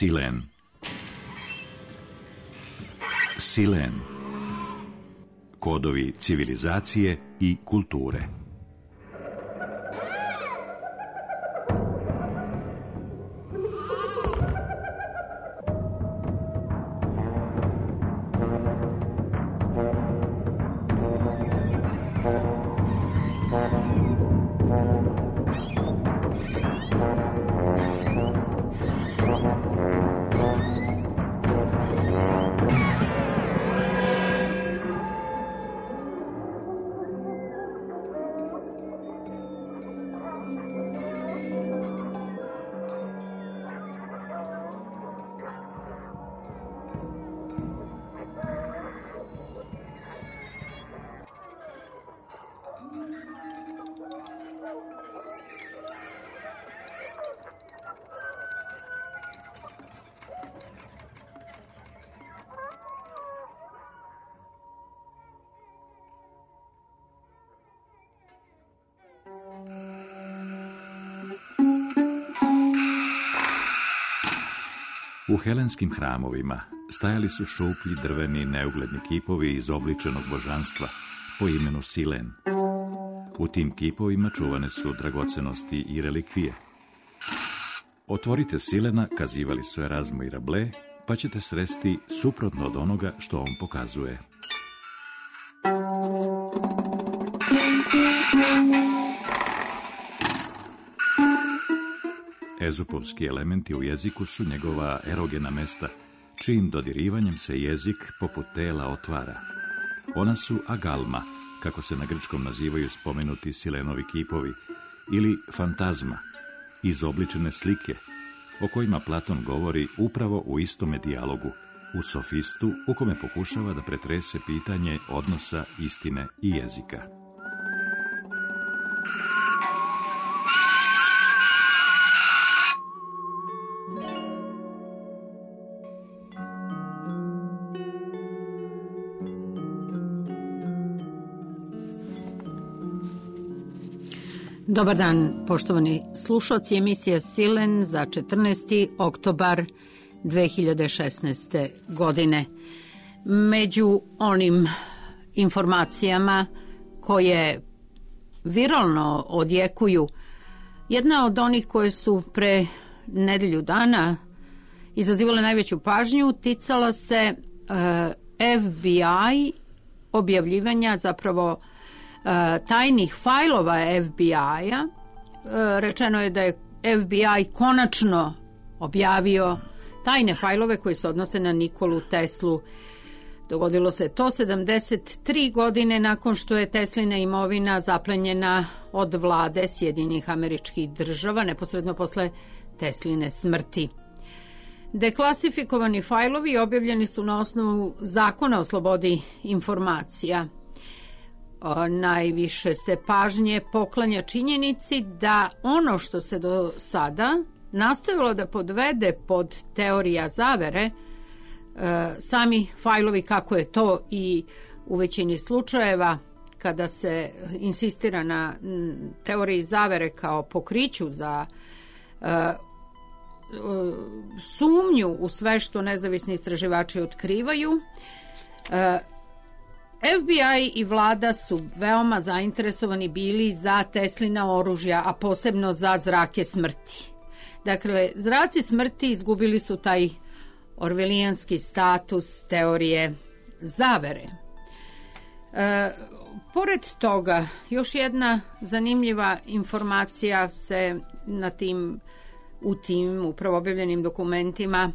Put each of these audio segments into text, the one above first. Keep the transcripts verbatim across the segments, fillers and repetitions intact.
Silen. Silen. Kodovi civilizacije i kulture. U helenskim hramovima stajali su šuplji drveni neugledni kipovi izobličenog božanstva po imenu Silen. U tim kipovima čuvane su dragocenosti i relikvije. Otvorite Silena, kazivali su Erazmo i Rabelais, pa ćete sresti suprotno od onoga što on pokazuje. Ezupovski elementi u jeziku su njegova erogena mesta, čijim dodirivanjem se jezik poput tela otvara. Ona su agalma, kako se na grčkom nazivaju spomenuti Silenovi kipovi, ili fantazma, izobličene slike, o kojima Platon govori upravo u istome dijalogu, u Sofistu, u kome pokušava da pretrese pitanje odnosa istine i jezika. Dobar dan, poštovani slušalci, emisija Silen za četrnaesti oktobar dve hiljade šesnaeste. godine. Među onim informacijama koje viralno odjekuju, jedna od onih koje su pre nedelju dana izazivale najveću pažnju ticala se uh, F B I objavljivanja, zapravo tajnih fajlova F B I-a. Rečeno je da je F B I konačno objavio tajne fajlove koji se odnose na Nikolu Teslu. Dogodilo se to sedamdeset tri godine nakon što je Teslina imovina zaplenjena od vlade Sjedinjenih Američkih Država, neposredno posle Tesline smrti. Deklasifikovani fajlovi objavljeni su na osnovu Zakona o slobodi informacija. Najviše se pažnje poklanja činjenici da ono što se do sada nastojalo da podvede pod teorija zavere, sami fajlovi, kako je to i u većini slučajeva kada se insistira na teoriji zavere kao pokriću za sumnju u sve što nezavisni istraživači otkrivaju, F B I i vlada su veoma zainteresovani bili za Teslina oružja, a posebno za zrake smrti. Dakle, zraci smrti izgubili su taj orvelijanski status teorije zavere. E, pored toga, još jedna zanimljiva informacija se na tim, u tim upravo objavljenim dokumentima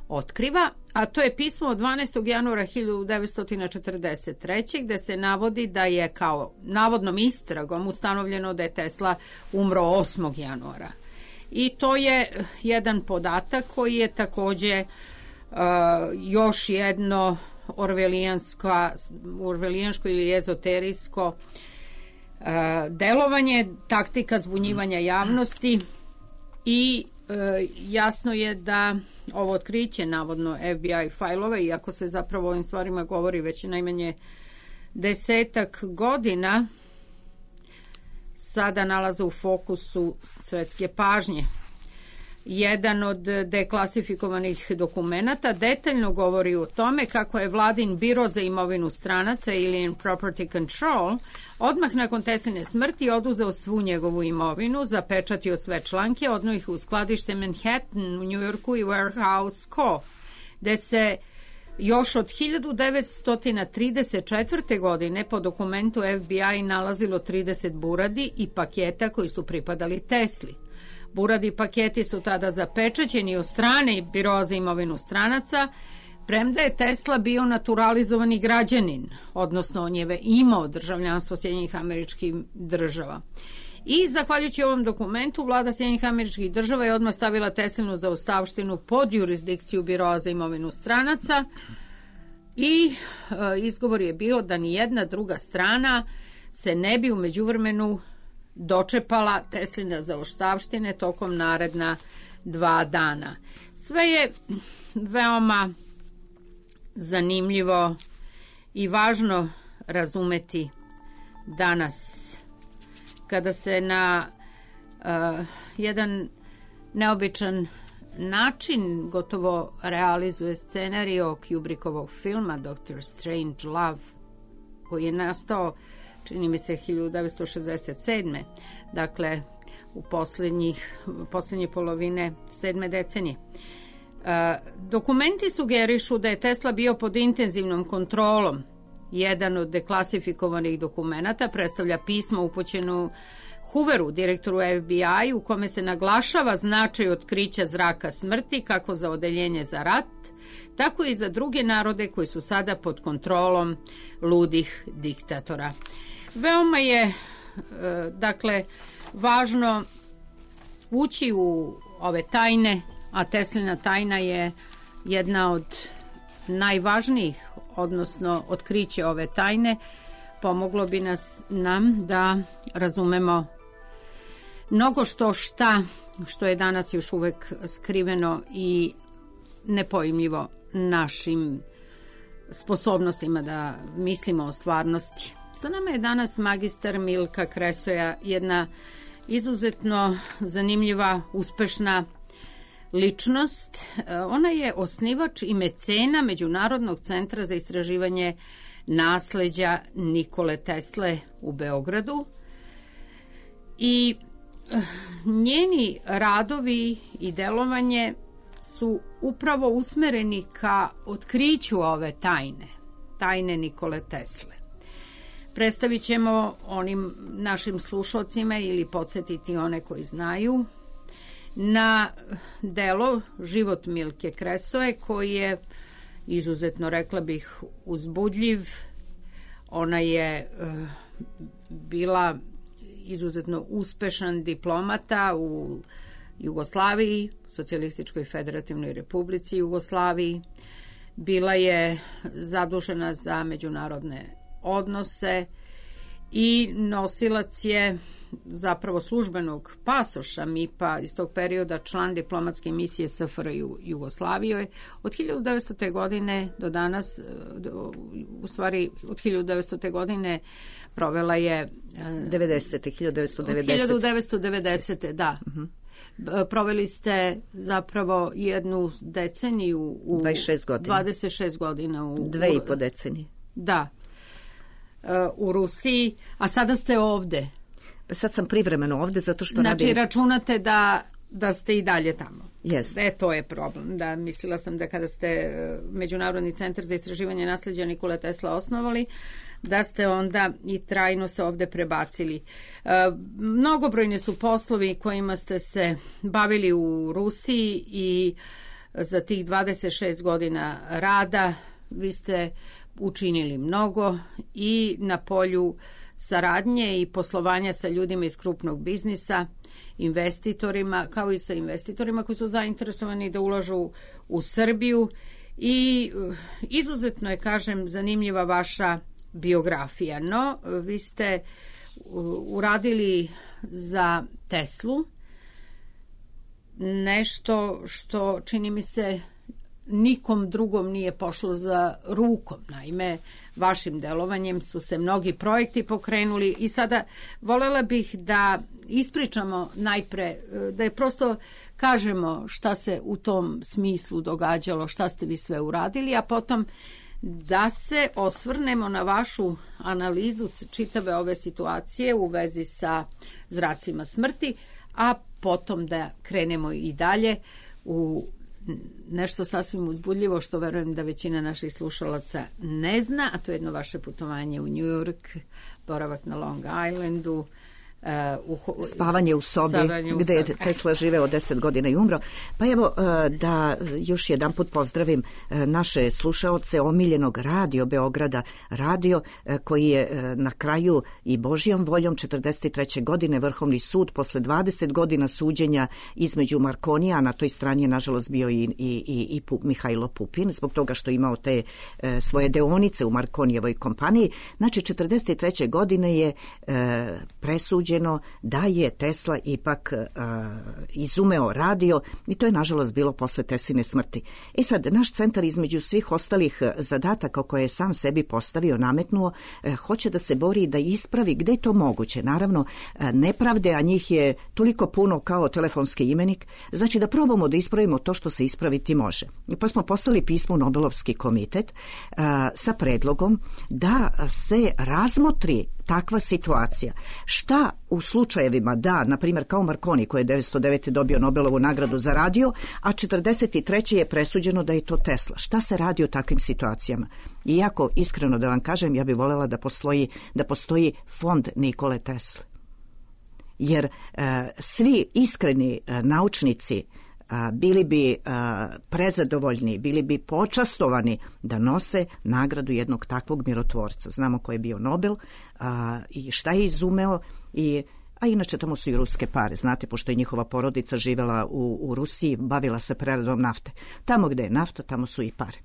otkriva, a to je pismo od dvanaestog januara hiljadu devetsto četrdeset treće. gde se navodi da je kao navodnom istragom ustanovljeno da je Tesla umro osmog januara. I to je jedan podatak koji je takođe uh, još jedno orvelijansko, orvelijansko ili ezoterijsko uh, delovanje, taktika zbunjivanja javnosti i E, jasno je da ovo otkriće navodno F B I fajlova, iako se zapravo o ovim stvarima govori već najmanje desetak godina, sada nalaze u fokusu svetske pažnje. jedan od deklasifikovanih dokumenata, detaljno govori o tome kako je vladin biro za imovinu stranaca ili Property Control odmah nakon Tesline smrti oduzeo svu njegovu imovinu, zapečatio sve članke, odno ih u skladište Manhattan u Njujorku i Warehouse Co., gde se još od hiljadu devetsto trideset četvrte. godine po dokumentu F B I nalazilo trideset buradi i paketa koji su pripadali Tesli. Buradi paketi su tada zapečaćeni od strane Biroa za imovinu stranaca, premda je Tesla bio naturalizovani građanin, odnosno on je imao državljanstvo Sjedinjenih Američkih Država. I zahvaljujući ovom dokumentu, vlada Sjedinjenih Američkih Država je odmah stavila Teslinu zaostavštinu pod jurisdikciju Biroa za imovinu stranaca i e, izgovor je bio da ni jedna druga strana se ne bi u međuvremenu dočepala Tesline zaostavštine tokom naredna dva dana. Sve je veoma zanimljivo i važno razumeti danas, kada se na uh, jedan neobičan način gotovo realizuje scenario Kubrickovog filma Doctor Strange Love, koji je nastao, čini mi se, hiljadu devetsto šezdeset sedme. Dakle, u posljednjih, posljednje polovine sedme decenije. Uh, dokumenti sugerišu da je Tesla bio pod intenzivnom kontrolom. Jedan od deklasifikovanih dokumenata predstavlja pismo upućeno Hooveru, direktoru F B I, u kome se naglašava značaj otkrića zraka smrti kako za odeljenje za rat, tako i za druge narode koji su sada pod kontrolom ludih diktatora. Veoma je, dakle, važno ući u ove tajne, a Teslina tajna je jedna od najvažnijih, odnosno otkriće ove tajne pomoglo bi nas nam da razumemo mnogo što šta što je danas još uvek skriveno i nepojmljivo našim sposobnostima da mislimo o stvarnosti. Sa nama je danas magistar Milka Kresoja, jedna izuzetno zanimljiva, uspešna ličnost. Ona je osnivač i mecena Međunarodnog centra za istraživanje nasleđa Nikole Tesle u Beogradu i njeni radovi i delovanje su upravo usmereni ka otkriću ove tajne, tajne Nikole Tesle. Predstavit ćemo onim našim slušalcima ili podsjetiti one koji znaju na delo Život Milke Kresoje, koji je izuzetno, rekla bih, uzbudljiv. Ona je uh, bila izuzetno uspešan diplomata u Jugoslaviji, Socijalističkoj Federativnoj Republici Jugoslaviji. Bila je zadužena za međunarodne odnose i nosilac je zapravo službenog pasoša M I P-a iz tog perioda, član diplomatske misije S F R J u Jugoslaviji. Od hiljadu devetsto. godine do danas, u stvari od hiljadu devetsto. godine provela je devedesete. hiljadu devetsto devedesete. hiljadu devetsto devedesete. da. Uh-huh. Proveli ste zapravo jednu deceniju u dvadeset šest godina. dvadeset šest godina u Dve i po decenije. Da. U Rusiji, a sada ste ovde. Sad sam privremeno ovde zato što znači, radim... računate da, da ste i dalje tamo. Yes. E, to je problem. Da, mislila sam da kada ste Međunarodni centar za istraživanje nasleđa Nikole Tesla osnovali, da ste onda i trajno se ovde prebacili. E, mnogobrojni su poslovi kojima ste se bavili u Rusiji i za tih dvadeset šest godina rada vi ste učinili mnogo i na polju saradnje i poslovanja sa ljudima iz krupnog biznisa, investitorima, kao i sa investitorima koji su zainteresovani da ulažu u Srbiju i izuzetno je, kažem, zanimljiva vaša biografija. No, vi ste uradili za Teslu nešto što, čini mi se, nikom drugom nije pošlo za rukom. Naime, vašim delovanjem su se mnogi projekti pokrenuli i sada voljela bih da ispričamo najpre, da je prosto kažemo šta se u tom smislu događalo, šta ste vi sve uradili, a potom da se osvrnemo na vašu analizu čitave ove situacije u vezi sa zracima smrti, a potom da krenemo i dalje u nešto sasvim uzbudljivo što verujem da većina naših slušalaca ne zna, a to je jedno vaše putovanje u New York, boravak na Long Islandu, Uh, u, spavanje u sobi spavanje u gde je Tesla živeo deset godina i umro. Pa evo uh, da još jedan put pozdravim uh, naše slušaoce omiljenog Radio Beograda, radio uh, koji je uh, na kraju i Božjom voljom četrdeset treće godine Vrhovni sud posle dvadeset godina suđenja između Markonija, na toj strani je nažalost bio i, i, i, i Pup, Mihajlo Pupin, zbog toga što je imao te uh, svoje deonice u Markonijevoj kompaniji. Znači četrdeset treće godine je uh, presuđen da je Tesla ipak uh, izumeo radio i to je nažalost bilo posle Tesline smrti. E sad, naš centar između svih ostalih zadataka koje je sam sebi postavio, nametnuo, uh, hoće da se bori da ispravi gde je to moguće. Naravno, uh, nepravde, a njih je toliko puno kao telefonski imenik, znači da probamo da ispravimo to što se ispraviti može. Pa smo poslali pismo u Nobelovski komitet uh, sa predlogom da se razmotri takva situacija. Šta u slučajevima da, na primjer kao Marconi koji je devetsto devete dobio Nobelovu nagradu za radio, a četrdeset treće je presuđeno da je to Tesla. Šta se radi u takvim situacijama? Iako, iskreno da vam kažem, ja bih voljela da postoji, da postoji fond Nikole Tesle. Jer e, svi iskreni e, naučnici a, bili bi a, prezadovoljni, bili bi počastovani da nose nagradu jednog takvog mirotvorca. Znamo ko je bio Nobel a, i šta je izumeo, i, a inače tamo su i ruske pare, znate, pošto je njihova porodica živela u, u Rusiji, bavila se preradom nafte. Tamo gde je nafta, tamo su i pare.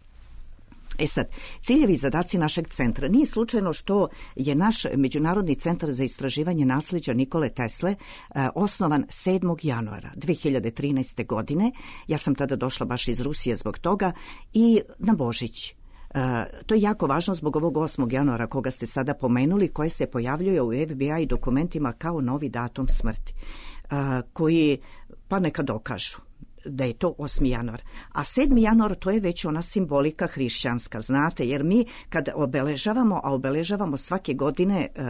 E sad, ciljevi i zadaci našeg centra. Nije slučajno što je naš Međunarodni centar za istraživanje nasleđa Nikole Tesle eh, osnovan sedmog januara dve hiljade trinaeste. godine. Ja sam tada došla baš iz Rusije zbog toga i na Božić. Uh, to je jako važno zbog ovog osmog januara koga ste sada pomenuli, koje se pojavljuje u F B I dokumentima kao novi datum smrti, uh, koji pa neka dokažu da je to osmi januar. A sedmi januar to je već ona simbolika hrišćanska, znate, jer mi kad obeležavamo, a obeležavamo svake godine uh,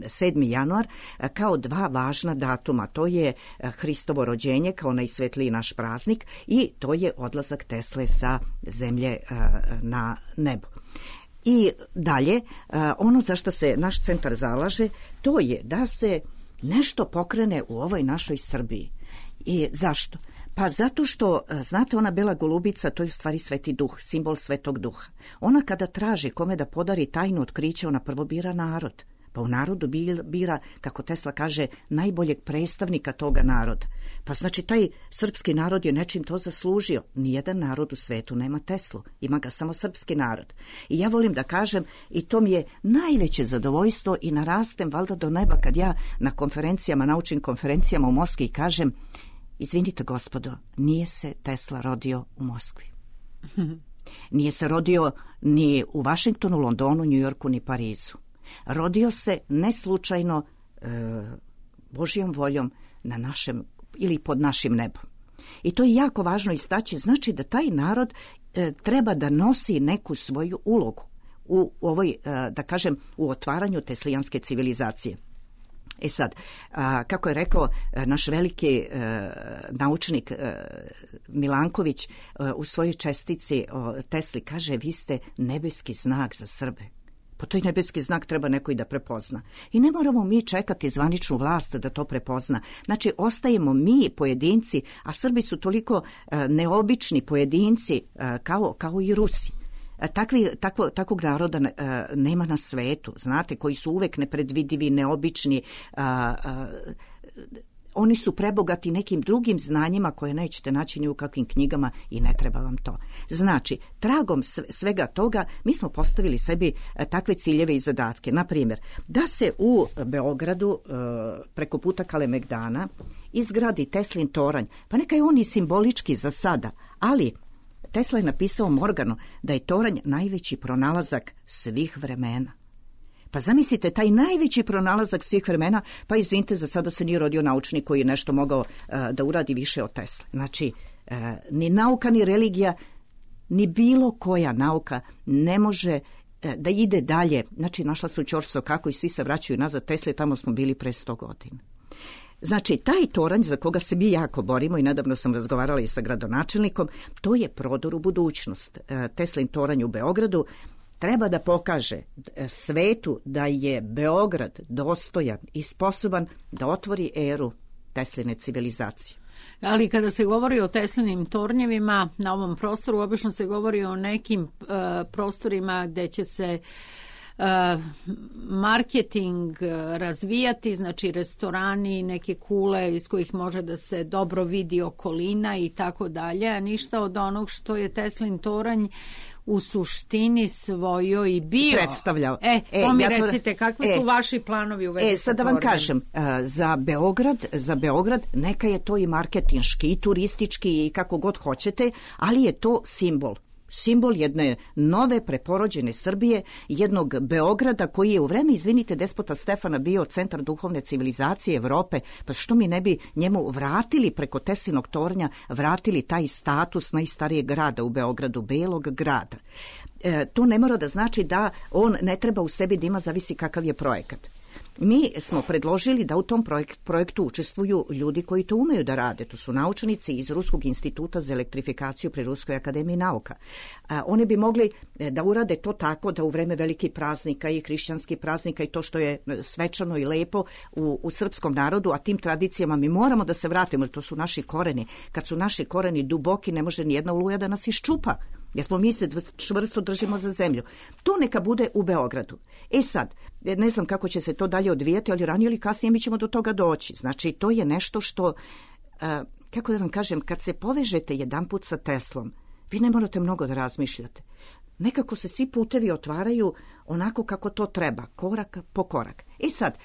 sedmi januar uh, kao dva važna datuma, to je uh, Hristovo rođenje kao najsvetliji naš praznik i to je odlazak Tesle sa zemlje uh, na nebo. I dalje, uh, ono za što se naš centar zalaže, to je da se nešto pokrene u ovoj našoj Srbiji. I zašto? Pa zato što, znate, ona bela golubica, to je u stvari Sveti Duh, simbol Svetog Duha. Ona kada traži kome da podari tajnu otkriće, ona prvo bira narod. Pa u narodu bira, kako Tesla kaže, najboljeg predstavnika toga naroda. Pa znači taj srpski narod je nečim to zaslužio. Nijedan narod u svetu nema Teslu, ima ga samo srpski narod. I ja volim da kažem, i to mi je najveće zadovoljstvo i narastem valjda do neba kad ja na konferencijama, naučnim konferencijama u Moskvi kažem: izvinite gospodo, nije se Tesla rodio u Moskvi. Nije se rodio ni u Vašingtonu, Londonu, Njujorku, ni Parizu. Rodio se neslučajno e, Božjom voljom na našem ili pod našim nebom. I to je jako važno istaći, znači da taj narod e, treba da nosi neku svoju ulogu u ovoj, e, da kažem, u otvaranju teslijanske civilizacije. E sad, a, kako je rekao a, naš veliki a, naučnik a, Milanković a, u svojoj čestici o Tesli, kaže: vi ste nebeski znak za Srbe. Pa to je nebeski znak, treba neko i da prepozna. I ne moramo mi čekati zvaničnu vlast da to prepozna. Znači, ostajemo mi pojedinci, a Srbi su toliko a, neobični pojedinci a, kao, kao i Rusi. Takvi, takvo, takvog naroda uh, nema na svetu, znate, koji su uvek nepredvidivi, neobični, uh, uh, oni su prebogati nekim drugim znanjima koje nećete naći ni u kakvim knjigama i ne treba vam to. Znači, tragom svega toga mi smo postavili sebi uh, takve ciljeve i zadatke. Na primjer, da se u Beogradu uh, preko puta Kalemegdana izgradi Teslin toranj, pa neka je on i simbolički za sada, ali Tesla je napisao Morganu da je toranj najveći pronalazak svih vremena. Pa zamislite, taj najveći pronalazak svih vremena, pa izvinite, za sada se nije rodio naučnik koji je nešto mogao uh, da uradi više od Tesle. Znači, uh, ni nauka, ni religija, ni bilo koja nauka ne može uh, da ide dalje. Znači, našla se u Ćorso kako i svi se vraćaju nazad Tesle, tamo smo bili pre sto godina. Znači, taj toranj za koga se mi jako borimo, i nedavno sam razgovarala i sa gradonačelnikom, to je prodor u budućnost. Uh, Teslin toranj u Beogradu treba da pokaže svetu da je Beograd dostojan i sposoban da otvori eru Tesline civilizacije. Ali kada se govori o Teslinim tornjevima na ovom prostoru, obično se govori o nekim uh, prostorima gde će se uh, marketing uh, razvijati, znači restorani, neke kule iz kojih može da se dobro vidi okolina i tako dalje, a ništa od onog što je Teslin toranj u suštini svojoj i bio. Predstavljao. E, to e, mi ja to... recite, kakvi e, su vaši planovi u vezi e, sad da vam kažem, za Beograd, za Beograd neka je to i marketinški, i turistički, i kako god hoćete, ali je to simbol. Simbol jedne nove preporođene Srbije, jednog Beograda koji je u vreme, izvinite, despota Stefana bio centar duhovne civilizacije Evrope, pa što mi ne bi njemu vratili preko Teslinog tornja, vratili taj status najstarijeg grada u Beogradu, Belog grada. E, to ne mora da znači da on ne treba u sebi da ima, zavisi kakav je projekat. Mi smo predložili da u tom projekt, projektu učestvuju ljudi koji to umeju da rade. To su naučnici iz Ruskog instituta za elektrifikaciju pri Ruskoj akademiji nauka. A, oni bi mogli da urade to tako da u vreme velikih praznika i hrišćanskih praznika i to što je svečano i lepo u, u srpskom narodu, a tim tradicijama mi moramo da se vratimo, jer to su naši koreni. Kad su naši koreni duboki, ne može ni jedna oluja da nas iščupa. Jer smo mi se čvrsto držimo za zemlju. To neka bude u Beogradu. E sad, ne znam kako će se to dalje odvijati, ali ranije ili kasnije mi ćemo do toga doći. Znači, to je nešto što, uh, kako da vam kažem, kad se povežete jedanput sa Teslom, vi ne morate mnogo da razmišljate. Nekako se svi putevi otvaraju onako kako to treba, korak po korak. I sad,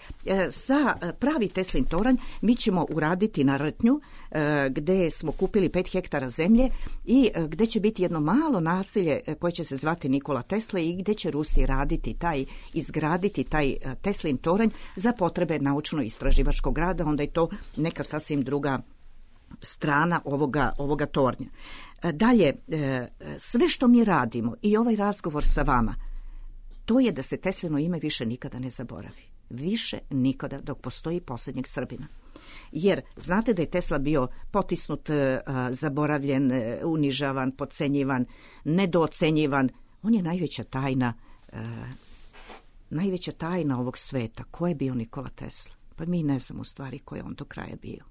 za pravi Teslin toranj mi ćemo uraditi na Rtnju, gde smo kupili pet hektara zemlje i gde će biti jedno malo naselje koje će se zvati Nikola Tesla i gde će Rusi raditi taj, izgraditi taj Teslin toranj za potrebe naučno-istraživačkog rada, onda je to neka sasvim druga strana ovoga, ovoga tornja. Dalje, sve što mi radimo i ovaj razgovor sa vama, to je da se Teslino ime više nikada ne zaboravi. Više nikada dok postoji posljednjeg Srbina. Jer znate da je Tesla bio potisnut, zaboravljen, unižavan, podcenjivan, nedoocenjivan. On je najveća tajna, najveća tajna ovog sveta. Ko je bio Nikola Tesla? Pa mi ne znamo u stvari ko je on do kraja bio.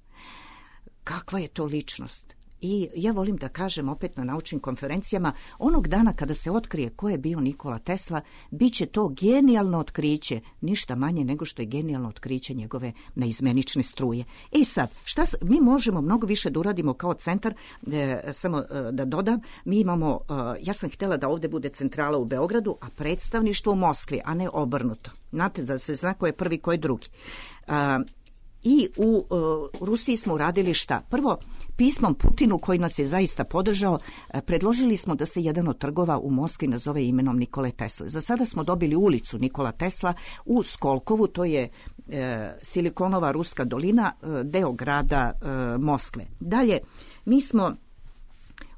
Kakva je to ličnost? I ja volim da kažem opet na naučnim konferencijama, onog dana kada se otkrije ko je bio Nikola Tesla, bit će to genijalno otkriće, ništa manje nego što je genijalno otkriće njegove neizmenične struje. E sad, šta, mi možemo mnogo više da uradimo kao centar, e, samo e, da dodam, mi imamo, e, ja sam htjela da ovdje bude centrala u Beogradu, a predstavništvo u Moskvi, a ne obrnuto. Znate da se zna ko je prvi, ko je drugi. E, I u uh, Rusiji smo uradili šta? Prvo, pismom Putinu koji nas je zaista podržao, predložili smo da se jedan od trgova u Moskvi nazove imenom Nikole Tesle. Za sada smo dobili ulicu Nikola Tesla u Skolkovu, to je e, Silikonova ruska dolina, e, deo grada e, Moskve. Dalje, mi smo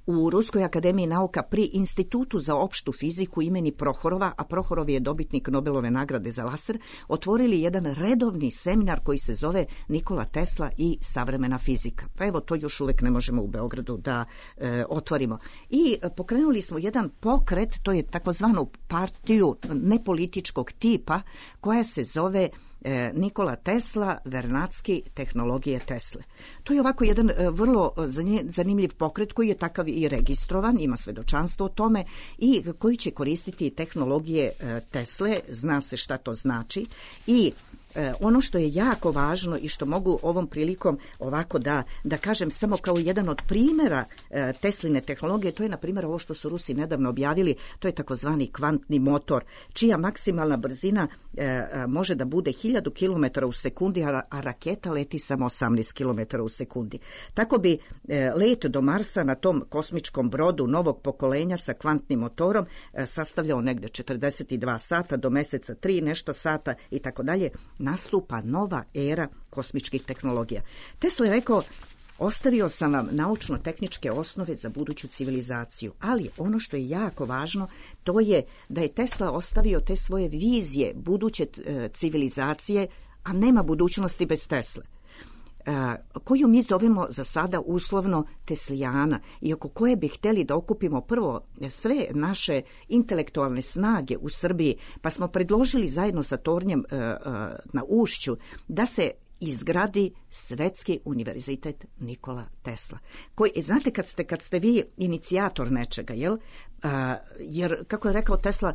u Ruskoj akademiji nauka pri Institutu za opštu fiziku imeni Prohorova, a Prohorov je dobitnik Nobelove nagrade za laser, otvorili jedan redovni seminar koji se zove Nikola Tesla i savremena fizika. Pa evo, to još uvek ne možemo u Beogradu da e, otvorimo. I pokrenuli smo jedan pokret, to je takozvanu partiju nepolitičkog tipa, koja se zove Nikola Tesla, Vernadski, tehnologije Tesle. To je ovako jedan vrlo zanimljiv pokret koji je takav i registrovan, ima svedočanstvo o tome i koji će koristiti tehnologije Tesle, zna se šta to znači i E, ono što je jako važno i što mogu ovom prilikom ovako da, da kažem samo kao jedan od primjera e, Tesline tehnologije, to je na primjer ovo što su Rusi nedavno objavili, to je takozvani kvantni motor, čija maksimalna brzina e, može da bude hiljadu kilometara u sekundi, a, a raketa leti samo osamnaest kilometara u sekundi. Tako bi e, let do Marsa na tom kosmičkom brodu novog pokolenja sa kvantnim motorom e, sastavljao negde četrdeset dva sata, do meseca tri nešto sata i tako dalje. Nastupa nova era kosmičkih tehnologija. Tesla je rekao: ostavio sam vam naučno-tehničke osnove za buduću civilizaciju, ali ono što je jako važno, to je da je Tesla ostavio te svoje vizije buduće civilizacije, a nema budućnosti bez Tesle, koju mi zovemo za sada uslovno Teslijana, i oko koje bi hteli da okupimo prvo sve naše intelektualne snage u Srbiji, pa smo predložili zajedno sa Tornjem na Ušću da se izgradi Svetski univerzitet Nikola Tesla. Koji, znate, kad ste, kad ste vi inicijator nečega, jel? A, jer, kako je rekao Tesla,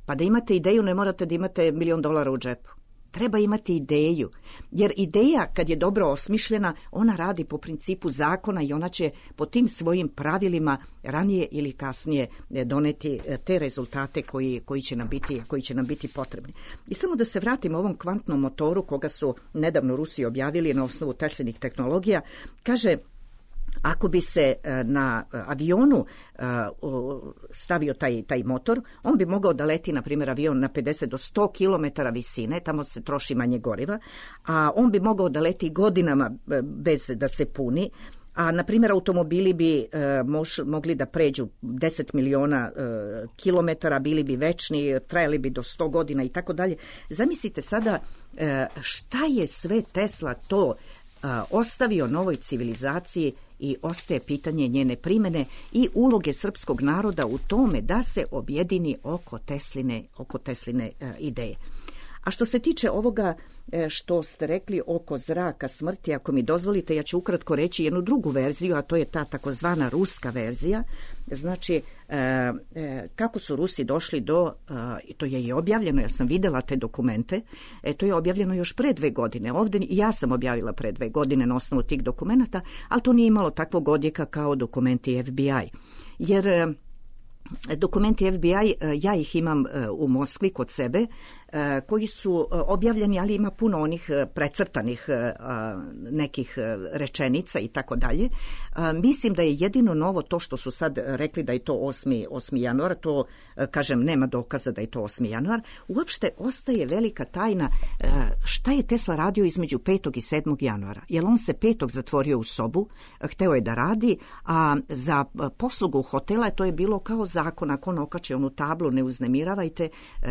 pa da imate ideju ne morate da imate milion dolara u džepu. Treba imati ideju, jer ideja kad je dobro osmišljena, ona radi po principu zakona i ona će po tim svojim pravilima ranije ili kasnije doneti te rezultate koji, koji, će nam biti, koji će nam biti potrebni. I samo da se vratimo ovom kvantnom motoru koga su nedavno Rusi objavili na osnovu Teslinih tehnologija, kaže: ako bi se na avionu stavio taj, taj motor, on bi mogao da leti, na primjer, avion na pedeset do sto kilometara visine, tamo se troši manje goriva, a on bi mogao da leti godinama bez da se puni, a, na primjer, automobili bi e, mož, mogli da pređu deset miliona e, kilometara, bili bi večni, trajali bi do sto godina i tako dalje. Zamislite sada e, šta je sve Tesla to e, ostavio novoj civilizaciji, i ostaje pitanje njene primene i uloge srpskog naroda u tome da se objedini oko Tesline, oko Tesline e, ideje. A što se tiče ovoga e, što ste rekli oko zraka smrti, ako mi dozvolite, ja ću ukratko reći jednu drugu verziju, a to je ta takozvana ruska verzija. Znači, e, e, kako su Rusi došli do, e, to je i objavljeno, ja sam videla te dokumente, e, to je objavljeno još pre dve godine. Ovde ja sam objavila pre dve godine na osnovu tih dokumenata, ali to nije imalo takvog odjeka kao dokumenti F B I. Jer e, dokumenti F B I, ja ih imam u Moskvi kod sebe, koji su objavljeni, ali ima puno onih precrtanih nekih rečenica i tako dalje. Mislim da je jedino novo to što su sad rekli da je to osmi januar, to, kažem, nema dokaza da je to osmi januar. Uopšte ostaje velika tajna šta je Tesla radio između petog i sedmog januara. Jer on se petog zatvorio u sobu, hteo je da radi, a za poslugu hotela to je bilo kao zakon, ako on okači onu tablu ne uznemiravajte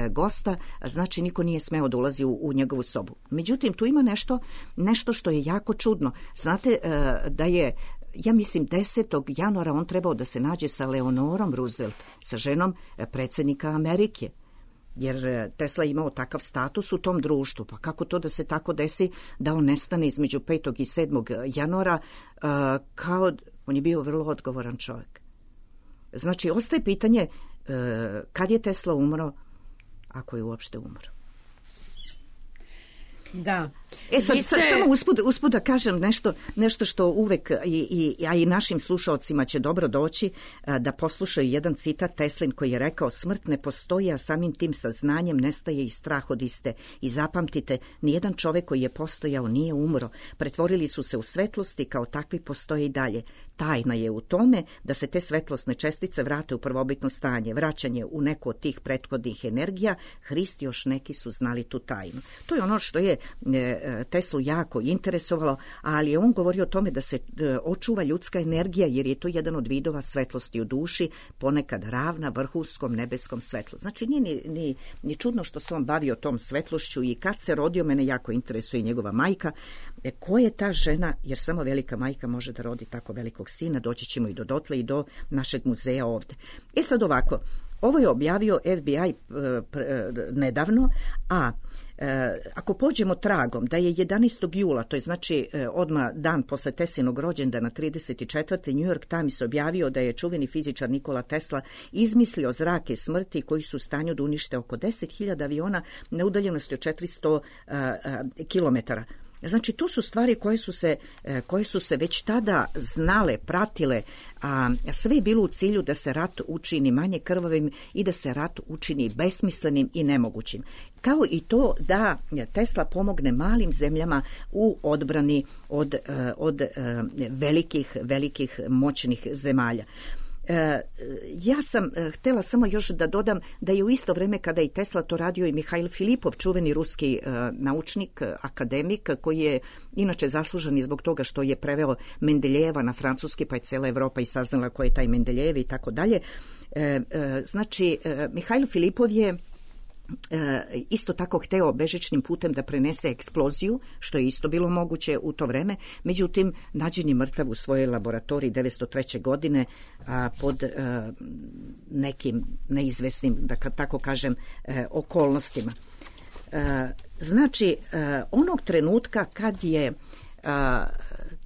gosta, znači niko nije smeo da ulazi u, u njegovu sobu. Međutim, tu ima nešto, nešto što je jako čudno. Znate da je, ja mislim, desetog januara on trebao da se nađe sa Leonorom Roosevelt, sa ženom predsjednika Amerike. Jer Tesla je imao takav status u tom društvu. Pa kako to da se tako desi da on nestane između petog i sedmog januara, kao on je bio vrlo odgovoran čovjek. Znači, ostaje pitanje kad je Tesla umro, ako je uopšte umro. Da. E sad, ste... samo uspud, uspud da kažem nešto, nešto što uvek, i, i, a i našim slušalcima će dobro doći, da poslušaju jedan citat Teslin koji je rekao: smrt ne postoji, a samim tim saznanjem nestaje i strah od iste. I zapamtite, nijedan čovek koji je postojao nije umro. Pretvorili su se u svetlosti, kao takvi postoje i dalje. Tajna je u tome da se te svetlosne čestice vrate u prvobitno stanje, vraćanje u neku od tih prethodnih energija. Hrist još neki su znali tu tajnu. To je ono što je Teslu jako interesovalo, ali je on govorio o tome da se očuva ljudska energija, jer je to jedan od vidova svetlosti u duši, ponekad ravna vrhunskom nebeskom svetlu. Znači, nije ni, ni, ni čudno što se on bavio tom svetlošću, i kad se rodio, mene jako interesuje njegova majka. E, ko je ta žena, jer samo velika majka može da rodi tako velikog sina, doći ćemo i do dotle i do našeg muzeja ovde. E sad ovako, ovo je objavio F B I nedavno, a E, ako pođemo tragom da je jedanaestog jula, to je znači e, odmah dan posle Teslinog rođendana, trideset četvrte New York Times objavio da je čuveni fizičar Nikola Tesla izmislio zrake smrti koji su u stanju da unište oko deset hiljada aviona na udaljenosti od četiristo kilometara. Znači, to su stvari koje su se, koje su se već tada znale, pratile, a sve je bilo u cilju da se rat učini manje krvavim i da se rat učini besmislenim i nemogućim. Kao i to da Tesla pomogne malim zemljama u odbrani od, od velikih, velikih moćnih zemalja. Ja sam htjela samo još da dodam da je u isto vrijeme kada i Tesla to radio i Mihail Filipov, čuveni ruski naučnik, akademik, koji je inače zaslužan i zbog toga što je preveo Mendeljeva na francuski, pa je cijela Evropa i saznala ko je taj Mendeljev i tako dalje. Znači, Mihail Filipov je E, isto tako hteo bežičnim putem da prenese eksploziju, što je isto bilo moguće u to vreme, međutim nađen je mrtav u svojoj laboratoriji devetsto treće godine a, pod a, nekim neizvesnim, da tako kažem, e, okolnostima. E, znači, e, onog trenutka kad je a,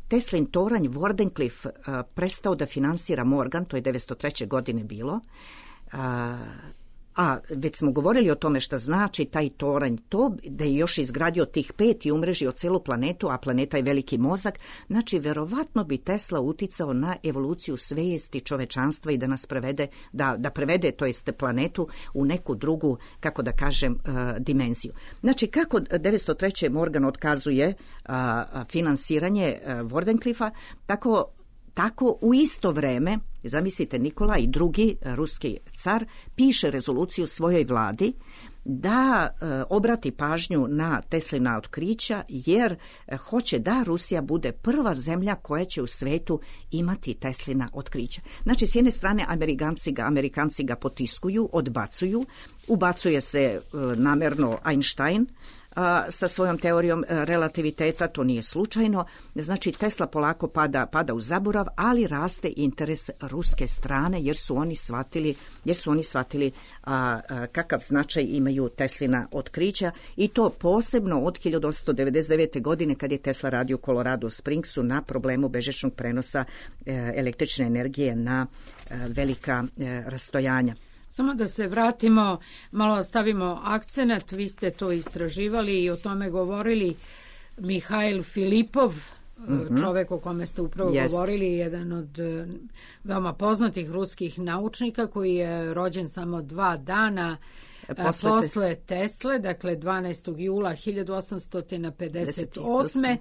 Teslin toranj Wardenclyffe a, prestao da finansira Morgan, to je devetsto treće godine bilo, a, a već smo govorili o tome šta znači taj toranj, to da je još izgradio tih pet i umrežio celu planetu, a planeta je veliki mozak, znači verovatno bi Tesla uticao na evoluciju svijesti čovečanstva i da nas prevede, da, da prevede, to jest planetu, u neku drugu, kako da kažem, uh, dimenziju. Znači, kako devetsto treće Morgan otkazuje uh, finansiranje uh, Wardenclyffa, tako Tako u isto vreme, zamislite, Nikolaj drugi, ruski car, piše rezoluciju svojoj vladi da e, obrati pažnju na Teslina otkrića, jer e, hoće da Rusija bude prva zemlja koja će u svetu imati Teslina otkrića. Znači, s jedne strane Amerikanci ga, Amerikanci ga potiskuju, odbacuju, ubacuje se e, namerno Einstein a, sa svojom teorijom relativiteta, to nije slučajno. Znači, Tesla polako pada, pada u zaborav, ali raste interes ruske strane, jer su oni shvatili, jer su oni shvatili a, a, kakav značaj imaju Teslina otkrića, i to posebno od hiljadu osamsto devedeset devete. godine, kad je Tesla radio u Colorado Springsu na problemu bežičnog prenosa e, električne energije na e, velika e, rastojanja. Samo da se vratimo, malo stavimo akcenat, vi ste to istraživali i o tome govorili. Mihail Filipov, mm-hmm. čovek o kome ste upravo Jest. govorili, jedan od veoma poznatih ruskih naučnika koji je rođen samo dva dana posle, posle Tesle, dakle dvanaestog jula hiljadu osamsto pedeset osme.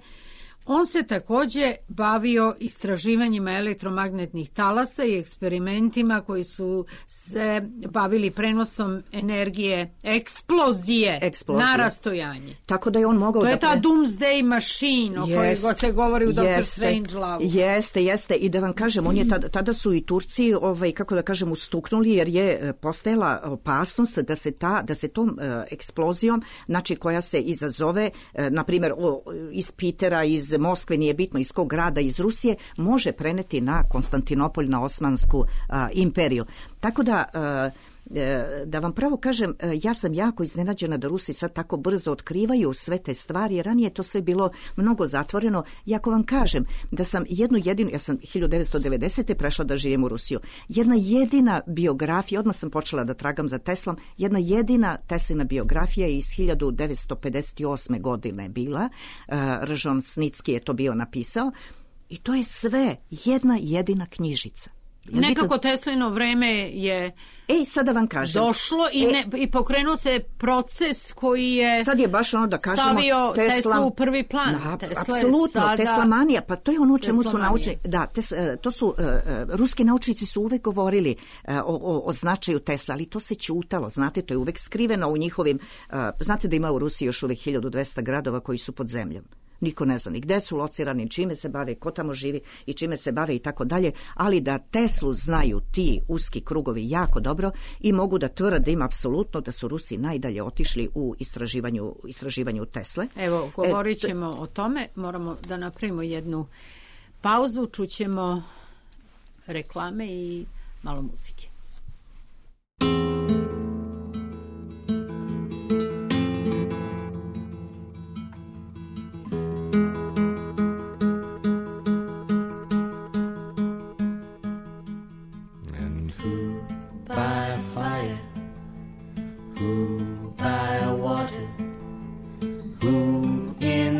On se također bavio istraživanjima elektromagnetnih talasa i eksperimentima koji su se bavili prenosom energije eksplozije, eksplozije. na rastojanje. Tako da je on mogao... To da je ta pre... Doomsday machine o jest, kojoj se govori u doktor Strangelove. Jeste, jeste. I da vam kažem, on je tada, tada su i Turci, ovaj, kako da kažem, ustuknuli, jer je postojala opasnost da se, ta, da se tom uh, eksplozijom, znači koja se izazove, uh, na primjer, o, iz Pitera, iz Moskve, nije bitno iz kog grada, iz Rusije, može preneti na Konstantinopolj, na Osmansku a, imperiju. Tako da, a, da vam pravo kažem, ja sam jako iznenađena da Rusi sad tako brzo otkrivaju sve te stvari, jer ranije to sve bilo mnogo zatvoreno. I ako vam kažem da sam jednu jedinu, ja sam hiljadu devetsto devedesete. prešla da živim u Rusiju, jedna jedina biografija, odmah sam počela da tragam za Teslom, jedna jedina Teslina biografija je iz hiljadu devetsto pedeset osme. godine bila, Ržon Snicki je to bio napisao, i to je sve jedna jedina knjižica. Jel Nekako to... Teslino vreme je Ej, sada vam kažem. došlo i, e, ne, i pokrenuo se proces koji je sad je baš ono da kažemo stavio Tesla, Tesla u prvi plan. Da, Tesla apsolutno, sada... Tesla manija, pa to je ono čemu su naučni. Da, tes, to su, uh, ruski naučnici su uvek govorili uh, o, o, o značaju Tesla, ali to se ćutalo, znate, to je uvek skriveno u njihovim, uh, znate da ima u Rusiji još uvek hiljadu dvesta gradova koji su pod zemljom. Niko ne zna ni gde su locirani, čime se bave, ko tamo živi i čime se bave i tako dalje, ali da Teslu znaju ti uski krugovi jako dobro i mogu da tvrdim apsolutno da su Rusi najdalje otišli u istraživanju, istraživanju Tesle. Evo, govorit ćemo e, t... o tome, moramo da napravimo jednu pauzu, čućemo reklame i malo muzike.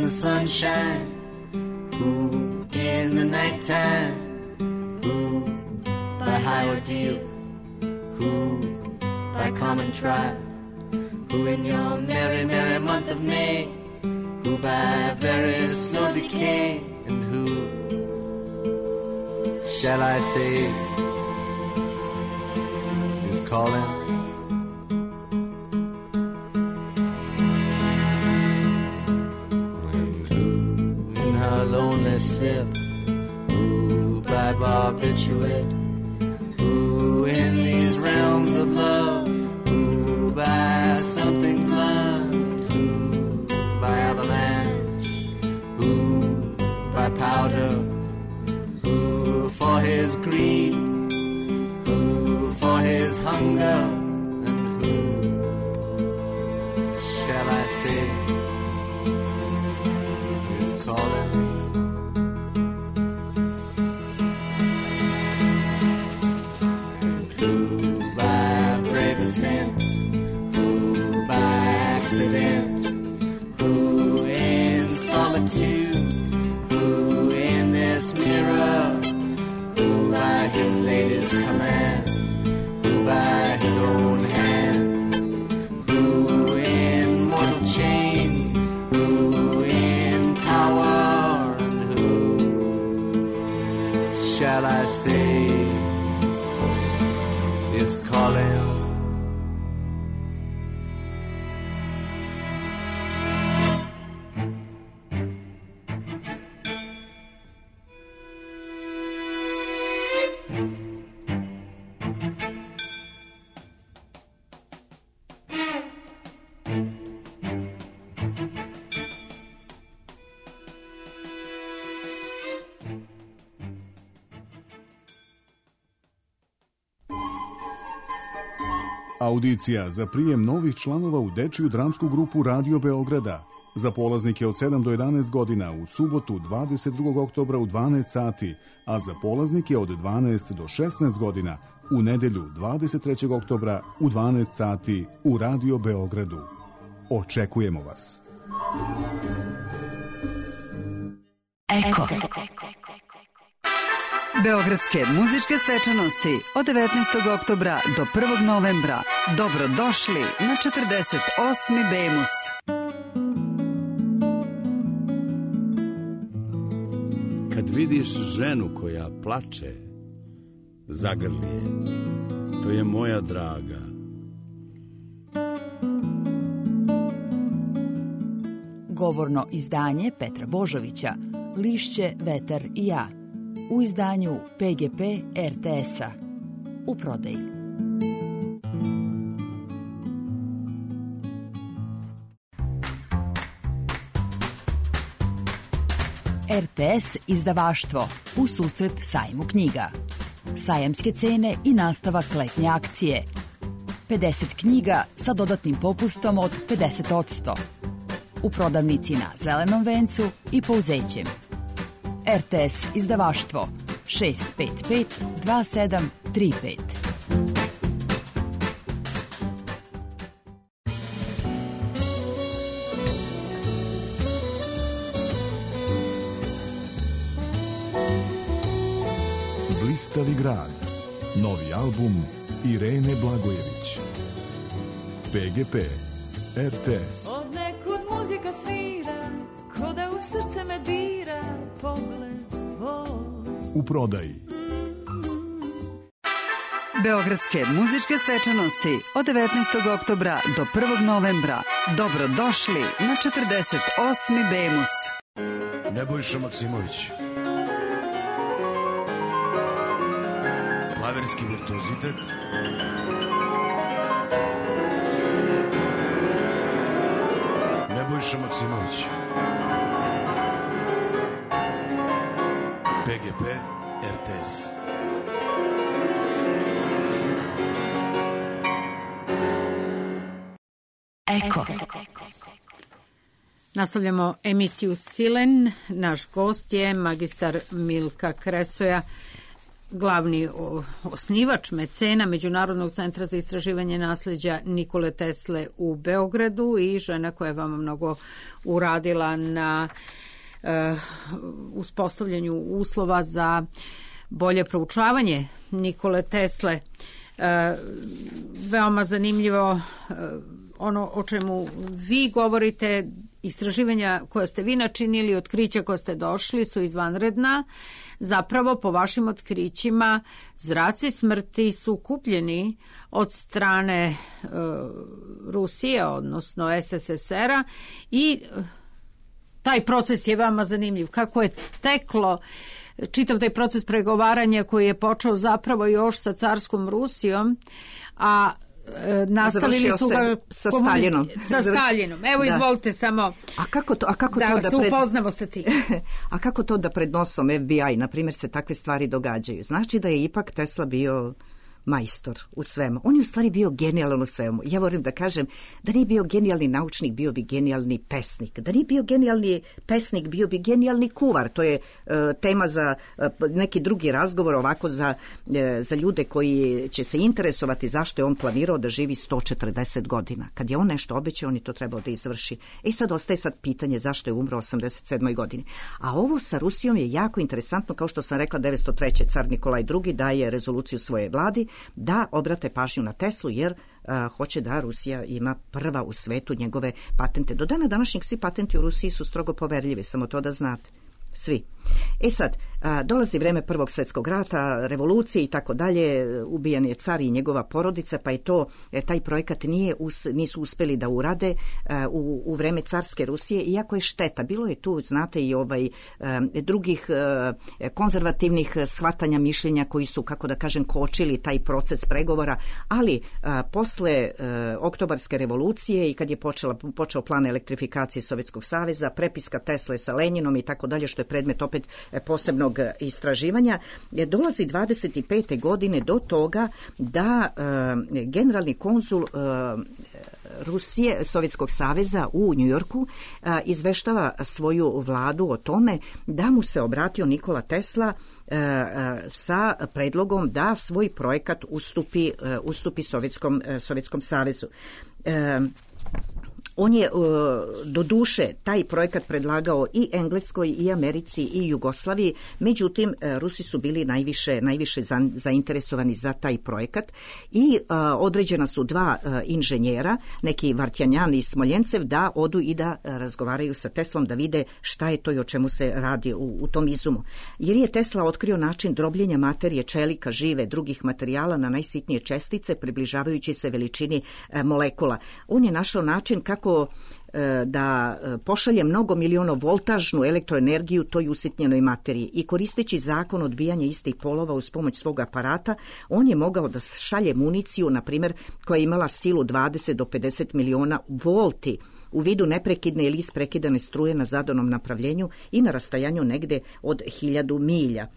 Sunshine deal, who by common trial, who in your merry, merry month of May, who by very slow decay, and who shall I say is calling? And who in her lonely slip, who by barbiturate, who in these realms of love, who by something blunt, who by avalanche, who by powder, who for his greed, who for his hunger, and who shall I say is calling? And who by brave ascent, who by accident, who in solitude, who in this mirror, who by his latest command, who by his own hand, who in mortal chains, who in power, and who shall I say is calling? Audicija za prijem novih članova u dečiju dramsku grupu Radio Beograda za polaznike od sedam do jedanaest godina u subotu dvadeset drugog oktobra u dvanaest sati, a za polaznike od dvanaest do šesnaest godina u nedelju dvadeset trećeg oktobra u dvanaest sati u Radio Beogradu. Očekujemo vas. Eko. Beogradske muzičke svečanosti od devetnaestog oktobra do prvog novembra. Dobrodošli na četrdeset osmi Bemus. Kad vidiš ženu koja plače, zagrli je. To je moja draga. Govorno izdanje Petra Božovića, Lišće, vetar i ja. U izdanju P G P R T S-a. U prodaji. R T S izdavaštvo u susret sajmu knjiga. Sajamske cene i nastavak letnje akcije. pedeset knjiga sa dodatnim popustom od pedeset posto. U prodavnici na Zelenom vencu i Pouzećem. R T S izdavaštvo šest pet pet dva sedam tri pet. Blistavi grad. Novi album Irene Blagojević. P G P R T S. Od nekud muzika svira, ko da u srce me dira pogled tvoj. U prodaji. Beogradske muzičke svečanosti od devetnaestog oktobra do prvog novembra. Dobrodošli na četrdeset osmi Bemus. Nebojša Maksimović. Klaverski virtuozitet. Nebojša Maksimović. P G P R T S. Eko. Nastavljamo emisiju Silen. Naš gost je magistar Milka Kresoja, glavni osnivač, mecena Međunarodnog centra za istraživanje nasleđa Nikole Tesle u Beogradu i žena koja je vama mnogo uradila na uh, uspostavljanju uslova za bolje proučavanje Nikole Tesle. E, veoma zanimljivo e, ono o čemu vi govorite, istraživanja koja ste vi načinili, otkrića koja ste došli su izvanredna. Zapravo, po vašim otkrićima, zraci smrti su kupljeni od strane e, Rusije, odnosno es es es er-a, i taj proces je veoma zanimljiv. Kako je teklo čitav taj proces pregovaranja koji je počeo zapravo još sa carskom Rusijom, a e, nastavili su ga sa Staljinom. Sa Staljinom. Evo, da. Izvolite samo a kako to, a kako da, to da se pred... upoznamo sa tim. A kako to da pred nosom ef be i, na primjer, se takve stvari događaju? Znači da je ipak Tesla bio majstor u svemu. On je u stvari bio genijalan u svemu. Ja volim da kažem da nije bio genijalni naučnik, bio bi genijalni pesnik. Da nije bio genijalni pesnik, bio bi genijalni kuvar. To je uh, tema za uh, neki drugi razgovor, ovako za, uh, za ljude koji će se interesovati zašto je on planirao da živi sto četrdeset godina. Kad je on nešto obećao, on je to trebao da izvrši. E sad ostaje sad pitanje zašto je umro u osamdeset sedmoj godini. A ovo sa Rusijom je jako interesantno, kao što sam rekla, devetsto treće car Nikolaj drugi daje rezoluciju svoje vladi da obrate pažnju na Teslu, jer a, hoće da Rusija ima prva u svetu njegove patente. Do dana današnjeg svi patenti u Rusiji su strogo poverljivi, samo to da znate. Svi. E sad, a, dolazi vreme Prvog svjetskog rata, revolucije i tako dalje, ubijan je car i njegova porodica, pa je to, e, taj projekat nije us, nisu uspeli da urade a, u, u vreme carske Rusije, iako je šteta. Bilo je tu, znate, i ovaj a, drugih a, konzervativnih shvatanja mišljenja koji su, kako da kažem, kočili taj proces pregovora, ali a, posle a, oktobarske revolucije i kad je počela, počeo plan elektrifikacije Sovjetskog saveza, prepiska Tesle sa Lenjinom i tako dalje, što je predmet opet posebnog istraživanja, dolazi dvadeset pete godine do toga da e, generalni konzul e, Rusije, Sovjetskog saveza u Njujorku e, izveštava svoju vladu o tome da mu se obratio Nikola Tesla e, e, sa predlogom da svoj projekat ustupi, e, ustupi Sovjetskom, e, Sovjetskom savezu. E, On je do duše taj projekat predlagao i Engleskoj i Americi i Jugoslaviji, međutim Rusi su bili najviše, najviše zainteresovani za taj projekat i određena su dva inženjera, neki Vartjanjan i Smoljencev, da odu i da razgovaraju sa Teslom, da vide šta je to i o čemu se radi u, u tom izumu. Jer je Tesla otkrio način drobljenja materije, čelika, žive, drugih materijala na najsitnije čestice, približavajući se veličini molekula. On je našao način kako da pošalje mnogo miliona voltažnu elektroenergiju toj usitnjenoj materiji i koristeći zakon odbijanja istih polova uz pomoć svog aparata, on je mogao da šalje municiju, na primjer, koja je imala silu dvadeset do pedeset miliona volti u vidu neprekidne ili isprekidane struje na zadanom napravljenju i na rastajanju negde od hiljadu milja.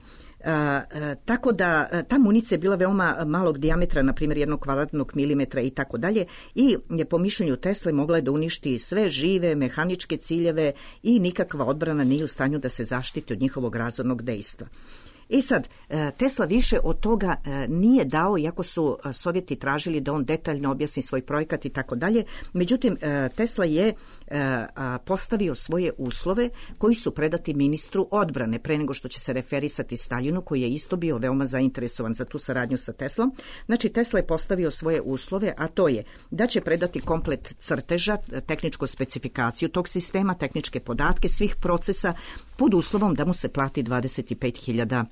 A, a, tako da a, ta municija je bila veoma malog dijametra, na primjer jednog kvadratnog milimetra i tako dalje, i po mišljenju Tesle mogla je da uništi sve žive mehaničke ciljeve i nikakva odbrana nije u stanju da se zaštiti od njihovog razornog dejstva. I sad, Tesla više od toga nije dao, iako su Sovjeti tražili da on detaljno objasni svoj projekat i tako dalje. Međutim, Tesla je postavio svoje uslove koji su predati ministru odbrane pre nego što će se referisati Staljinu, koji je isto bio veoma zainteresovan za tu saradnju sa Teslom. Znači, Tesla je postavio svoje uslove, a to je da će predati komplet crteža, tehničku specifikaciju tog sistema, tehničke podatke svih procesa, pod uslovom da mu se plati dvadeset pet hiljada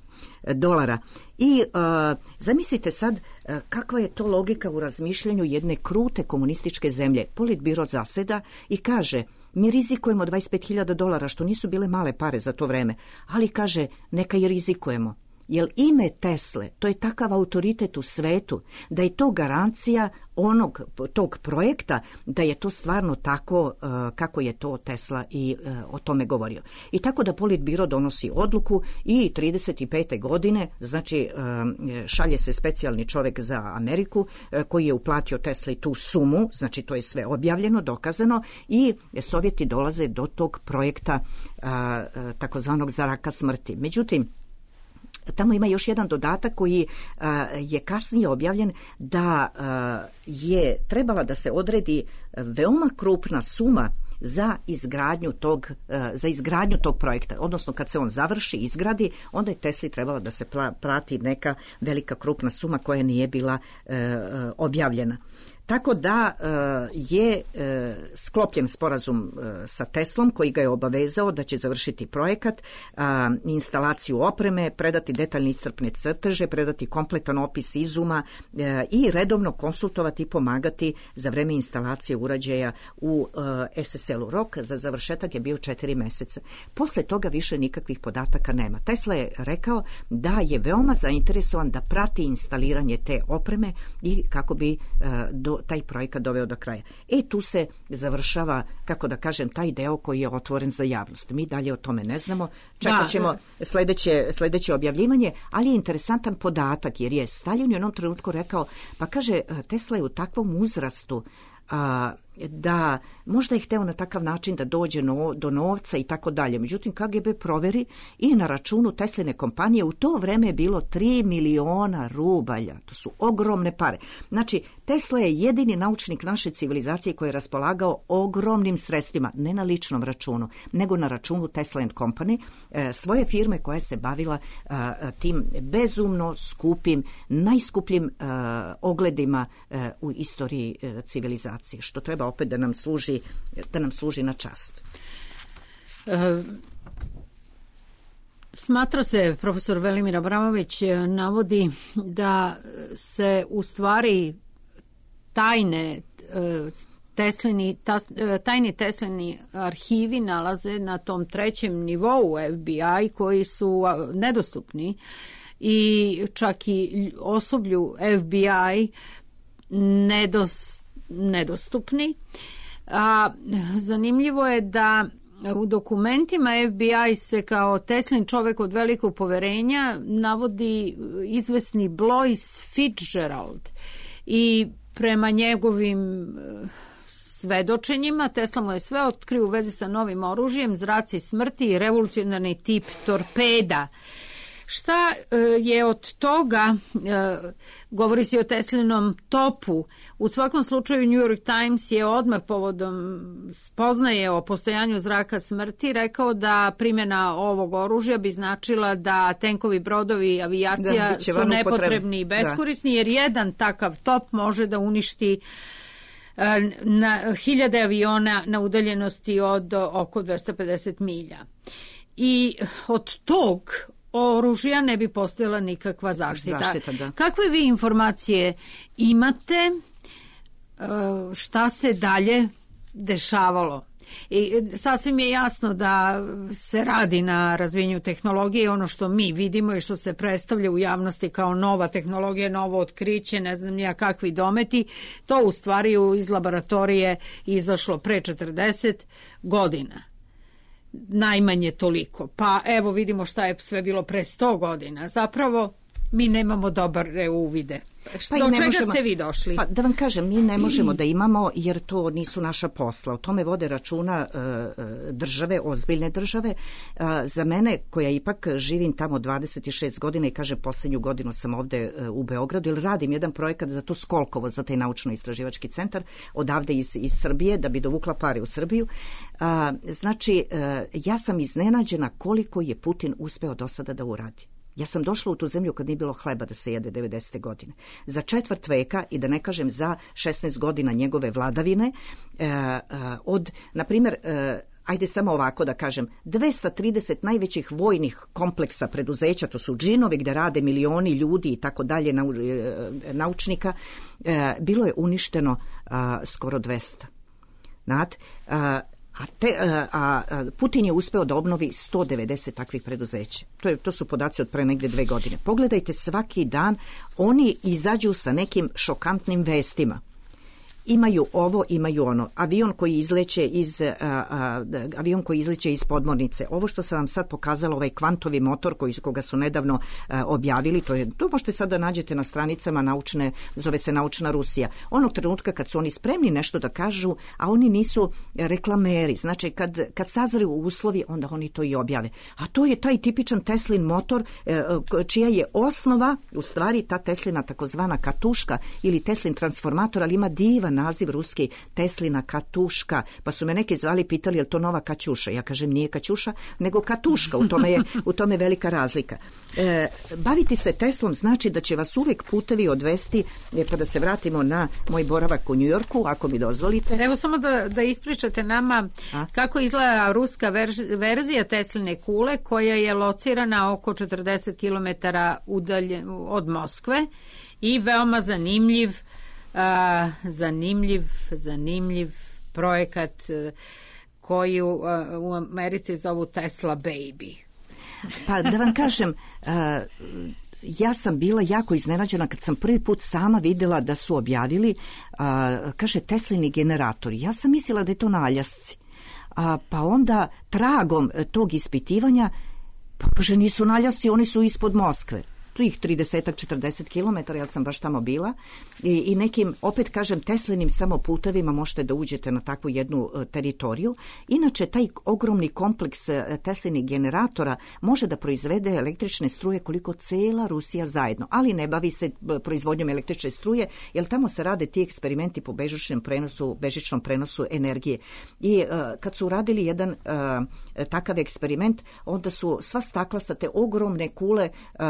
dolara. I uh, zamislite sad uh, kakva je to logika u razmišljanju jedne krute komunističke zemlje. Politbiro zaseda i kaže: mi rizikujemo dvadeset pet hiljada dolara, što nisu bile male pare za to vreme, ali kaže neka i rizikujemo. Jer ime Tesle, to je takav autoritet u svetu, da je to garancija onog tog projekta, da je to stvarno tako uh, kako je to Tesla i uh, o tome govorio. I tako da Politbiro donosi odluku i trideset pete godine, znači uh, šalje se specijalni čovjek za Ameriku uh, koji je uplatio Tesli tu sumu, znači to je sve objavljeno, dokazano, i Sovjeti dolaze do tog projekta uh, uh, takozvanog zaraka smrti. Međutim, tamo ima još jedan dodatak koji uh, je kasnije objavljen, da uh, je trebala da se odredi veoma krupna suma za izgradnju tog, za izgradnju tog projekta. Odnosno, kad se on završi, izgradi, onda je Tesli trebala da se plati neka velika krupna suma koja nije bila e, objavljena. Tako da je sklopljen sporazum sa Teslom koji ga je obavezao da će završiti projekat, instalaciju opreme, predati detaljne iscrpne crteže, predati kompletan opis izuma i redovno konsultovati i pomagati za vreme instalacije uređaja u es es el-u. Rok za završetak je bio četiri meseca. Posle toga više nikakvih podataka nema. Tesla je rekao da je veoma zainteresovan da prati instaliranje te opreme i kako bi do taj projekat doveo do kraja. E, tu se završava, kako da kažem, taj deo koji je otvoren za javnost. Mi dalje o tome ne znamo. Čekat ćemo sledeće, sledeće objavljivanje, ali je interesantan podatak, jer je Stalin u jednom trenutku rekao, pa kaže, Tesla je u takvom uzrastu a, da možda je hteo na takav način da dođe no, do novca i tako dalje. Međutim, K G B proveri i na računu Tesline kompanije u to vreme je bilo tri miliona rubalja. To su ogromne pare. Znači, Tesla je jedini naučnik naše civilizacije koji je raspolagao ogromnim sredstvima, ne na ličnom računu, nego na računu Tesla and Company, e, svoje firme koja se bavila a, tim bezumno skupim, najskupljim a, ogledima a, u istoriji a, civilizacije, što treba opet da nam služi, da nam služi na čast. E, smatra se, profesor Velimir Abramović navodi da se u stvari tajne Teslini, tajni Teslini arhivi nalaze na tom trećem nivou F B I koji su nedostupni i čak i osoblju F B I nedos, nedostupni. A zanimljivo je da u dokumentima F B I se kao Teslin čovek od velikog poverenja navodi izvesni Blois Fitzgerald i prema njegovim svedočenjima Tesla mu je sve otkrio u vezi sa novim oružjem, zraci smrti i revolucionarni tip torpeda. Šta je od toga, govori se o Teslinom topu, u svakom slučaju New York Times je odmah povodom spoznaje o postojanju zraka smrti rekao da primjena ovog oružja bi značila da tenkovi, brodovi, avijacija da, su nepotrebni i beskorisni, da. Jer jedan takav top može da uništi na hiljade aviona na udaljenosti od oko dvesta pedeset milja. I od tog oružja ne bi postojala nikakva zaštita. Zaštita, da. Kakve vi informacije imate, šta se dalje dešavalo? I sasvim je jasno da se radi na razvijanju tehnologije, ono što mi vidimo i što se predstavlja u javnosti kao nova tehnologija, novo otkriće, ne znam nija kakvi dometi, to u stvari iz laboratorije izašlo pre četrdeset godina. Najmanje toliko. Pa evo vidimo šta je sve bilo pre sto godina. Zapravo mi nemamo dobre uvide. Pa do čega možemo, ste vi došli? Pa da vam kažem, mi ne možemo da imamo jer to nisu naša posla. O tome vode računa uh, države, ozbiljne države. Uh, za mene, koja ipak živim tamo dvadeset šest godina i kaže poslednju godinu sam ovde uh, u Beogradu, jer radim jedan projekat za to Skolkovo, za taj naučno-istraživački centar, odavde iz, iz Srbije, da bi dovukla pare u Srbiju. Uh, znači, uh, ja sam iznenađena koliko je Putin uspeo do sada da uradi. Ja sam došla u tu zemlju kad nije bilo hleba da se jede devedesete godine. Za četvrt veka i da ne kažem za šesnaest godina njegove vladavine, e, e, od, na primjer, e, ajde samo ovako da kažem, dvesta trideset najvećih vojnih kompleksa preduzeća, to su džinovi gde rade milioni ljudi i tako dalje, nau, e, naučnika, e, bilo je uništeno a, skoro dvesta. Znate, a, A, te, a, a Putin je uspeo da obnovi sto devedeset takvih preduzeća. To, je, to su podaci od pre negde dve godine. Pogledajte, svaki dan oni izađu sa nekim šokantnim vestima. imaju ovo, imaju ono. Avion koji izleće iz, a, a, avion koji izleće iz podmornice. Ovo što sam vam sad pokazala, ovaj kvantovi motor koji, koga su nedavno a, objavili, to je, to možete sad da nađete na stranicama naučne, zove se Naučna Rusija. Onog trenutka kad su oni spremni nešto da kažu, a oni nisu reklameri, znači kad, kad sazre u uslovi, onda oni to i objave. A to je taj tipičan Teslin motor, e, čija je osnova, u stvari ta Teslina takozvana katuška ili Teslin transformator, ali ima divan naziv ruski, Teslina katuška. Pa su me neki zvali, pitali je li to nova Kaćuša. Ja kažem nije Kaćuša, nego katuška. U tome je, u tome je velika razlika. E, baviti se Teslom znači da će vas uvijek putevi odvesti, pa da se vratimo na moj boravak u Njujorku, ako mi dozvolite. Evo samo da, da ispričate nama A? kako izgleda ruska verž, verzija Tesline kule, koja je locirana oko četrdeset kilometara udalje od Moskve i veoma zanimljiv uh, zanimljiv zanimljiv projekat uh, koju uh, u Americi zovu Tesla Baby. Pa da vam kažem, uh, ja sam bila jako iznenađena kad sam prvi put sama vidjela da su objavili, a, kaže, Teslini generatori. Ja sam mislila da je to na Aljasci. A, pa onda tragom tog ispitivanja, pa kaže, nisu na Aljasci, oni su ispod Moskve. Tih trideset četrdeset kilometara, ja sam baš tamo bila i, i nekim, opet kažem, Teslinim samo putevima možete da uđete na takvu jednu uh, teritoriju. Inače, taj ogromni kompleks uh, Teslinih generatora može da proizvede električne struje koliko cela Rusija zajedno, ali ne bavi se uh, proizvodnjom električne struje, jer tamo se rade ti eksperimenti po bežičnom prenosu, bežičnom prenosu energije. I uh, kad su radili jedan uh, takav eksperiment, onda su sva stakla sa te ogromne kule uh,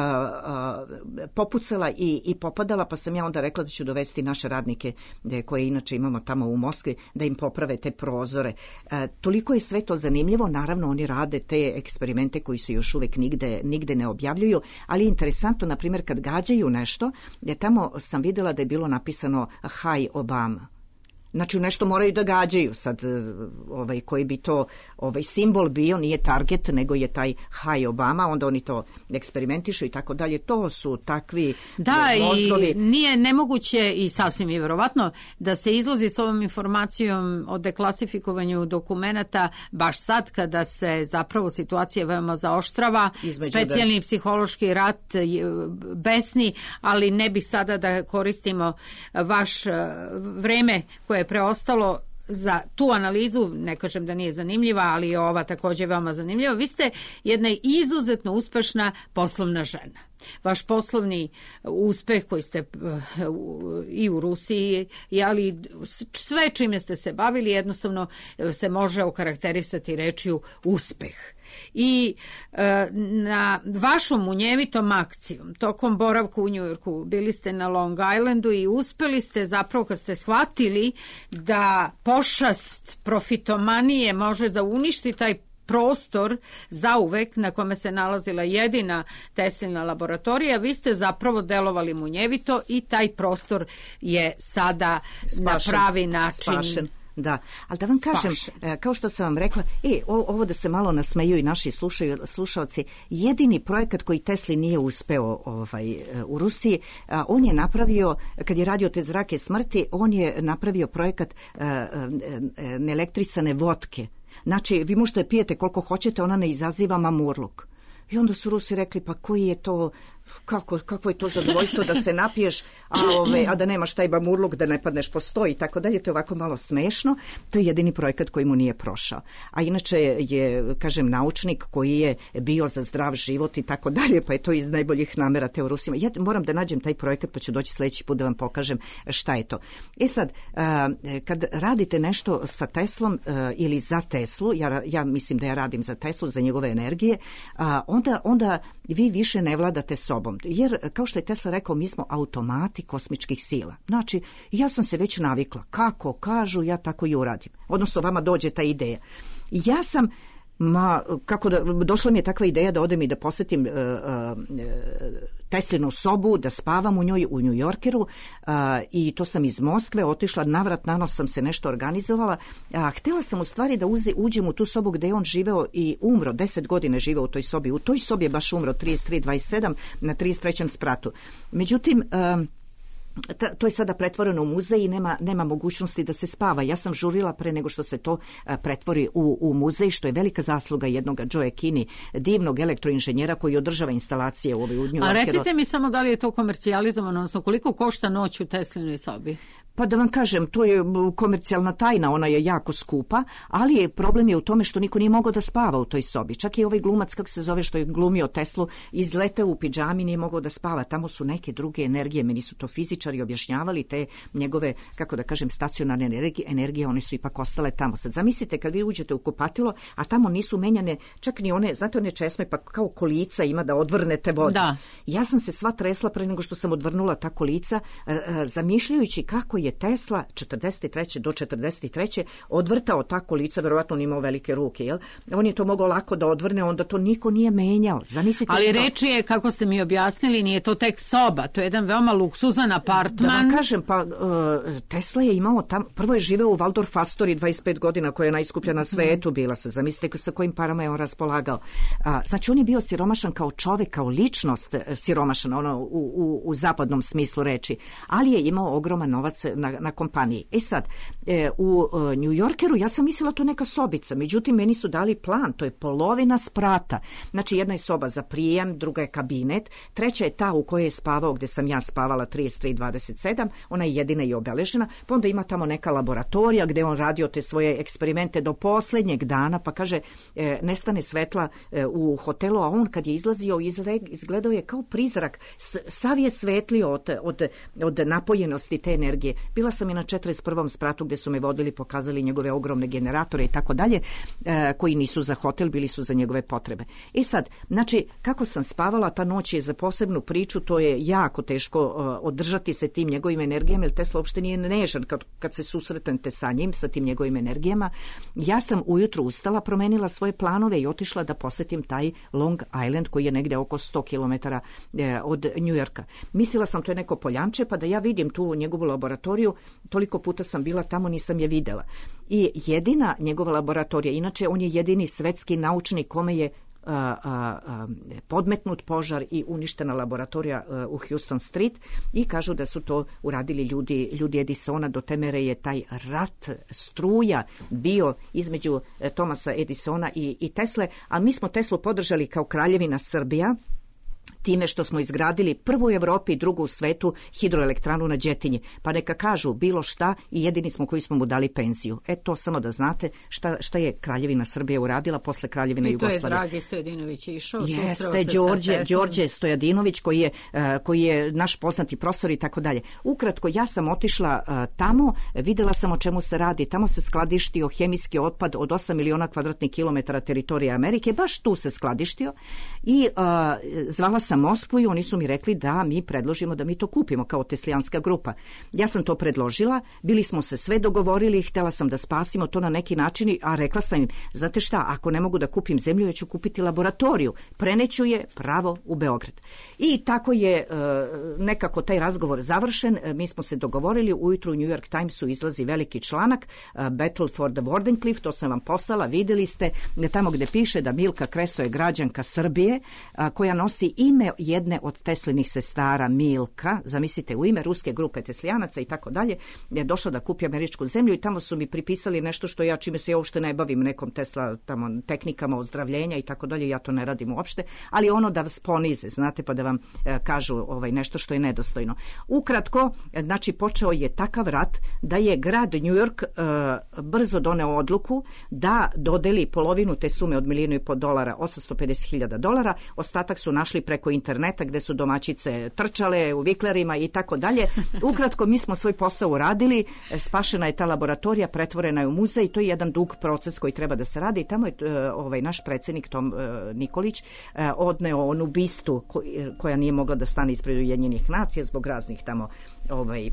popucala i, i popadala, pa sam ja onda rekla da ću dovesti naše radnike koje inače imamo tamo u Moskvi, da im poprave te prozore. E, toliko je sve to zanimljivo, naravno oni rade te eksperimente koji se još uvek nigde, nigde ne objavljuju, ali je interesantno, na primjer, kad gađaju nešto, jer tamo sam vidjela da je bilo napisano Hi Obama. Znači nešto moraju da gađaju sad, ovaj, koji bi to ovaj, simbol bio, nije target, nego je taj Hi Obama, onda oni to eksperimentišu i tako dalje. To su takvi da, mozgovi. I nije nemoguće i sasvim je verovatno da se izlazi s ovom informacijom o deklasifikovanju dokumenata baš sad kada se zapravo situacija veoma zaoštrava, između specijalni da... psihološki rat besni, ali ne bi sada da koristimo vaš vreme koje je preostalo za tu analizu, ne kažem da nije zanimljiva, ali je ova također veoma zanimljiva. Vi ste jedna izuzetno uspešna poslovna žena. Vaš poslovni uspeh koji ste i u Rusiji, ali sve čime ste se bavili jednostavno se može okarakterisati rečju uspeh. I e, na vašom munjevitom akcijom tokom boravka u Njujorku bili ste na Long Islandu i uspeli ste zapravo kad ste shvatili da pošast profitomanije može da uništi taj prostor zauvek na kome se nalazila jedina Teslina laboratorija, vi ste zapravo delovali munjevito i taj prostor je sada spašen, na pravi način spašen. Da, ali da vam kažem, Spašen. kao što sam vam rekla, e, ovo da se malo nasmeju i naši slušaju, slušalci, jedini projekat koji Tesli nije uspeo ovaj, u Rusiji, on je napravio, kad je radio te zrake smrti, on je napravio projekat uh, neelektrisane vodke. Znači, vi možete pijete koliko hoćete, ona ne izaziva mamurluk. I onda su Rusi rekli, pa koji je to, kako, kako je to zadovoljstvo da se napiješ, a, ove, a da nemaš taj mamurluk, da ne padneš po sto i tako dalje. To je ovako malo smešno. To je jedini projekat koji mu nije prošao. A inače je, kažem, naučnik koji je bio za zdrav život i tako dalje, pa je to iz najboljih namera te u Rusima. Ja moram da nađem taj projekat, pa ću doći sljedeći put da vam pokažem šta je to. E sad, kad radite nešto sa Teslom ili za Teslu, ja, ja mislim da ja radim za Teslu, za njegove energije, onda, onda vi više ne vladate sobom. Jer, kao što je Tesla rekao, mi smo automati kosmičkih sila. Znači, ja sam se već navikla. Kako kažu, ja tako i uradim. Odnosno, vama dođe ta ideja. Ja sam, ma, kako da, došla mi je takva ideja da odem i da posjetim uh, uh, Teslinu sobu, da spavam u njoj u Njujorkeru uh, i to sam iz Moskve otišla, navrat nanos sam se nešto organizovala. A htjela sam u stvari da uze, uđem u tu sobu gdje je on živeo i umro, deset godine živeo u toj sobi. U toj sobi je baš umro, trideset tri dvadeset sedam na trideset trećem spratu. Međutim, uh, to je sada pretvoreno u muzej i nema, nema mogućnosti da se spava. Ja sam žurila pre nego što se to pretvori u, u muzej, što je velika zasluga jednog Joe Kinney, divnog elektroinženjera koji održava instalacije u ovoj u New Yorkeru. A recite mi samo da li je to komercijalizovano, odnosno koliko košta noć u Teslinoj sobi? Pa da vam kažem, to je komercijalna tajna, ona je jako skupa, ali je problem je u tome što niko nije mogao da spava u toj sobi. Čak i ovaj glumac, kako se zove, što je glumio Teslu, izleteo u pidžami, nije mogao da spava. Tamo su neke druge energije, meni su to fizičari objašnjavali, te njegove, kako da kažem, stacionarne energije, energije, one su ipak ostale tamo. Sad zamislite kad vi uđete u kupatilo, a tamo nisu menjane čak ni one, znate one česme, pa kao kolica ima da odvrnete vodu. Da. Ja sam se sva tresla pre nego što sam odvrnula ta kolica, zamišljajući kako je Tesla četrdeset treće do četrdeset treće odvrtao ta kolica, verovatno on imao velike ruke, jel? On je to mogao lako da odvrne, onda to niko nije menjao. Zamislite. Ali to. reč je, kako ste mi objasnili, nije to tek soba, to je jedan veoma luksuzan apartman. Da vam kažem, pa uh, Tesla je imao tam, prvo je živeo u Waldorf Astoria dvadeset pet godina, koja je najskuplja na svetu bila se. Zamislite sa kojim parama je on raspolagao. Uh, znači on je bio siromašan kao čovek, kao ličnost siromašan, ono u, u, u zapadnom smislu reči, ali je imao ogroman novac na, na kompaniji. E sad, e, u e, New Yorkeru ja sam mislila to neka sobica, međutim meni su dali plan, to je polovina sprata. Znači jedna je soba za prijem, druga je kabinet, treća je ta u kojoj je spavao, gde sam ja spavala trideset tri dvadeset sedam, ona je jedina i obeležena, pa onda ima tamo neka laboratorija gde on radio te svoje eksperimente do poslednjeg dana, pa kaže e, nestane svetla e, u hotelu, a on kad je izlazio izgledao je kao prizrak, sav je svetlio od, od, od napojenosti te energije. Bila sam i na četrdeset prvom spratu gde su me vodili, pokazali njegove ogromne generatore i tako dalje, koji nisu za hotel, bili su za njegove potrebe. I sad, znači, kako sam spavala, ta noć je za posebnu priču, to je jako teško uh, održati se tim njegovim energijama, jer Tesla uopšte nije nežan kad, kad se susretnete sa njim, sa tim njegovim energijama. Ja sam ujutru ustala, promenila svoje planove i otišla da posetim taj Long Island, koji je negde oko sto kilometara eh, od New Yorka. Mislila sam to je neko poljanče, pa da ja vidim tu njegovu laboratoriju, toliko puta sam bila tamo, nisam je videla. I jedina njegova laboratorija, inače on je jedini svetski naučnik kome je a, a, a, podmetnut požar i uništena laboratorija a, u Houston Street, i kažu da su to uradili ljudi, ljudi Edisona. Do te mere je taj rat struja bio između Thomasa Edisona i, i Tesle, a mi smo Teslu podržali kao Kraljevina Srbija time što smo izgradili prvu u Evropi i drugu u svetu hidroelektranu na Đetinji. Pa neka kažu bilo šta i jedini smo koji smo mu dali penziju. E to samo da znate šta, šta je Kraljevina Srbija uradila posle Kraljevine Jugoslavije. I to je Dragi Stojadinović išao. Jeste, Đorđe, Đorđe Stojadinović koji je, uh, koji je naš poznati profesor i tako dalje. Ukratko, ja sam otišla uh, tamo, videla sam o čemu se radi. Tamo se skladištio hemijski otpad od osam miliona kvadratnih kilometara teritorije Amerike. Baš tu se skladištio i uh, zvala sam Moskvu i oni su mi rekli da mi predložimo da mi to kupimo kao teslijanska grupa. Ja sam to predložila, bili smo se sve dogovorili, htjela sam da spasimo to na neki način, a rekla sam im, znate šta, ako ne mogu da kupim zemlju, ja ću kupiti laboratoriju, preneću je pravo u Beograd. I tako je nekako taj razgovor završen, mi smo se dogovorili, ujutru u New York Timesu izlazi veliki članak, Battle for the Wardenclyffe, to sam vam poslala, vidjeli ste, tamo gde piše da Milka Kreso je građanka Srbije, koja nosi ime jedne od Teslinih sestara, Milka, zamislite, u ime ruske grupe teslijanaca i tako dalje, je došla da kupi američku zemlju i tamo su mi pripisali nešto što ja, čime se ja uopšte ne bavim, nekom Tesla tamo tehnikama ozdravljenja i tako dalje, ja to ne radim uopšte, ali ono da vas ponize, znate, pa da vam e, kažu ovaj, nešto što je nedostojno. Ukratko, znači počeo je takav rat da je grad New York e, brzo doneo odluku da dodeli polovinu te sume od milijun i po dolara, osamsto pedeset hiljada dolara, ostatak su našli preko interneta gde su domaćice trčale u viklerima i tako dalje. Ukratko, mi smo svoj posao uradili, spašena je ta laboratorija, pretvorena je u muzej, to je jedan dug proces koji treba da se radi i tamo je ovaj, naš predsjednik Tom Nikolić odneo onu bistu koja nije mogla da stane ispred Ujedinjenih nacija zbog raznih tamo ovaj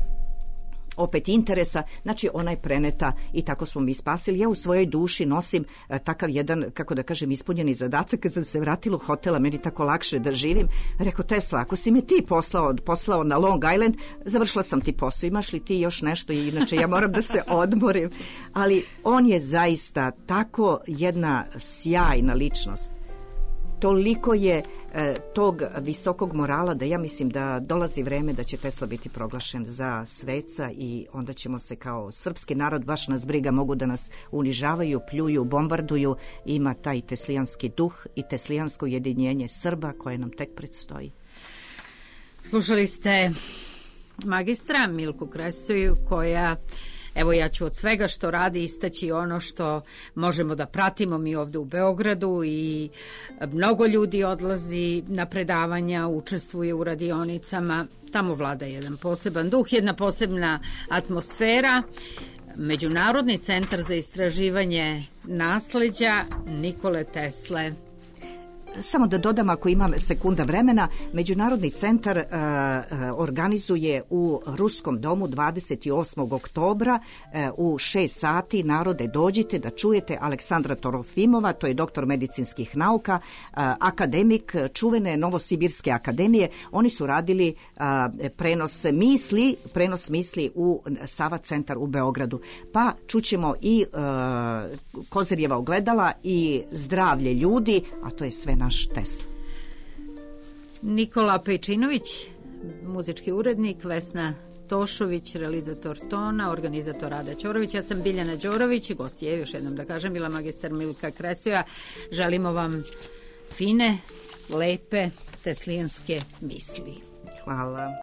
opet interesa, znači ona je preneta i tako smo mi spasili. Ja u svojoj duši nosim e, takav jedan, kako da kažem, ispunjeni zadatak. Kad sam se vratila u hotela, meni tako lakše da živim, rekao, Tesla, ako si me ti poslao, poslao na Long Island, završila sam ti posao, imaš li ti još nešto, inače ja moram da se odmorim. Ali on je zaista tako jedna sjajna ličnost. toliko je e, tog visokog morala da ja mislim da dolazi vreme da će Tesla biti proglašen za sveca i onda ćemo se kao srpski narod, baš nas briga, mogu da nas unižavaju, pljuju, bombarduju, ima taj teslijanski duh i teslijansko ujedinjenje Srba koje nam tek predstoji. Slušali ste magistra Milku Kresoju koja, evo ja ću od svega što radi istaći ono što možemo da pratimo mi ovde u Beogradu i mnogo ljudi odlazi na predavanja, učestvuje u radionicama, tamo vlada jedan poseban duh, jedna posebna atmosfera. Međunarodni centar za istraživanje nasleđa Nikole Tesle. Samo da dodam, ako imam sekunda vremena, Međunarodni centar uh, organizuje u Ruskom domu dvadeset osmog oktobra uh, u šest sati. Narode, dođite da čujete Aleksandra Torofimova, to je doktor medicinskih nauka, uh, akademik čuvene Novosibirske akademije. Oni su radili uh, prenos misli, prenos misli u Sava centar u Beogradu. Pa čućemo i uh, Kozirjeva ogledala i zdravlje ljudi, a to je sve naš Tesla. Nikola Pejčinović, muzički urednik, Vesna Tošović, realizator tona, organizator Rada Ćorović, ja sam Biljana Đorović i gost je, još jednom da kažem, bila magistar Milka Kresoja. Želimo vam fine, lepe teslijanske misli. Hvala.